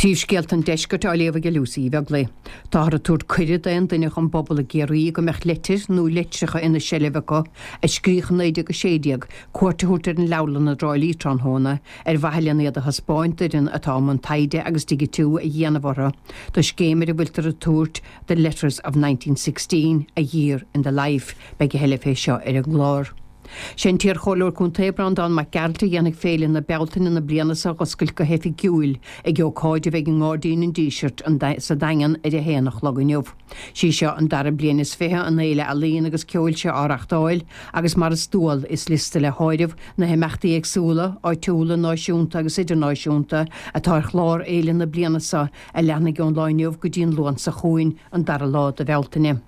Príomhscéalta an Deiscirt á léamh ag Lucy Uí Bheaglaoi. Táthar ag tabhairt cuireadh d'aon duine ón bpobal i gCiarraí go mbeadh leitir nó litreacha ina seilbh acu a scríodh i 1916 cuairt a thabhairt ar an leabharlann i dTrá Lí tráthnóna ar mhaithe lena iad a thaispeáint d'fhoireann atá i mbun taighde agus digitiú a dhéanamh orthu do scéim ar a bhfuiltear ag tabhairt The Letters of 1916, A Year in the Life. Beidh a thuilleadh fé seo ar an gclár. Sé an t-iarchomhairleoir contae Breandán Mac Gearailt a dhéanfaidh Féile na Bealtaine na bliana seo a dh'oscailt go hoifigiúil ag ócáid a bheidh i nGairdín an Dísirt sa Daingean ar a haon a chlog inniu. Sí seo an dara bliain is 20 an fhéile ealaíon agus ceoil seo á reachtáil agus mar is dual is liosta le háireamh na himeachtaí éagsúla, áitiúla, náisiúnta agus idirnáisiúnta atá ar chlár fhéile na bliana seo a leanfaidh ón lá inniu go dtí an Luan seo chugainn, an dara lá de Bhealtaine.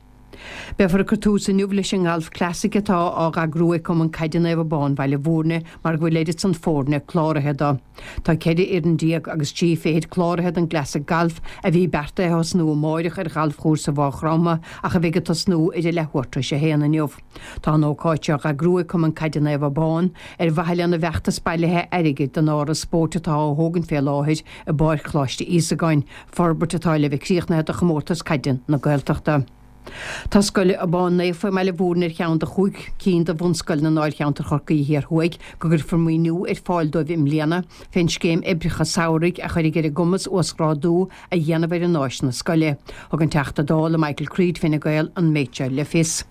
Beifear ag cur tús inniu leis an nGalf Classic atá á eagrú ag Cumann Caide Naomh Abán Bhaile Bhúirne mar go bhfuil oiread san foirne cláraithe do. Tá 14 fhoireann agus trí fichid cláraithe don gClassic Galf a bhí beartaithe a thosnú amáireach ar ghalfchúrsa Mhaigh Chromtha ach a bheidh ag tosnú ar a leathuair tar éis a haon inniu. Tá an ócáid seo á eagrú ag Cumann Caide Naomh Abán ar mhaithe lena bhfeachtas bailithe airgid don áras spóirt atá á thógaint fé láthair i bPáirc Choláiste Íosagáin, forbairt atá le bheith críochnaithe do Chomórtas Caide na Gaeltachta. Tá Scoil Abán Naofa i mBaile Bhúirne ar cheann de chúig cinn de bhunscoileanna i ndáilcheantar Chorcaí Thiar Thuaidh go gcuirfear maoiniú ar fáil dóibh i mbliana fén scéim oibreacha samhraidh a chuirfidh ar a gcumas uasghrádú a dhéanamh ar a n-áiseanna scoile. Thug an Teachta Dála Michael Creed, Fine Gael, an méid seo le fios.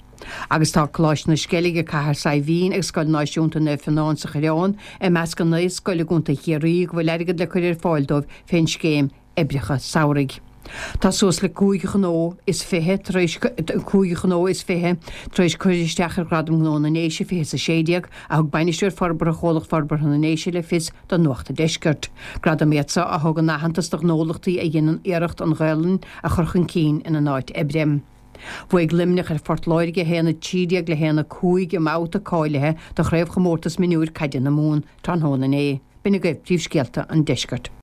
Agus tá Coláiste na Sceilge, Cathair Saidhbhín agus Scoil Náisiúnta Naomh Fionán sa Choireán i measc an 9 scoil i gContae Chiarraí go bhfuil airgead le cur ar fáil dóibh fén scéim oibreacha samhraidh. Tá suas le 25 ghnó is tar éis 5 ghnó is 20 tar éis cur isteach ar Ghradam Gnó na nDéise 2016 a thug Bainisteoir Forbartha Chomhlacht Forbartha na nDéise le fios do Nuacht an Deiscirt. Gradaim iad seo a thugann aitheantas do ghnólachtaí a dhéanann iarracht an Ghaelainn a chur chun cinn ina n-áit oibre. Bhuaigh Luimneach ar Phort Láirge 1-13 le 1-5 i mbabhta cáilithe do Chraobhchomórtas Mionúir Caide na Mumhan tráthnóna inné. B'in agaibh príomhscéalta an deiscirt.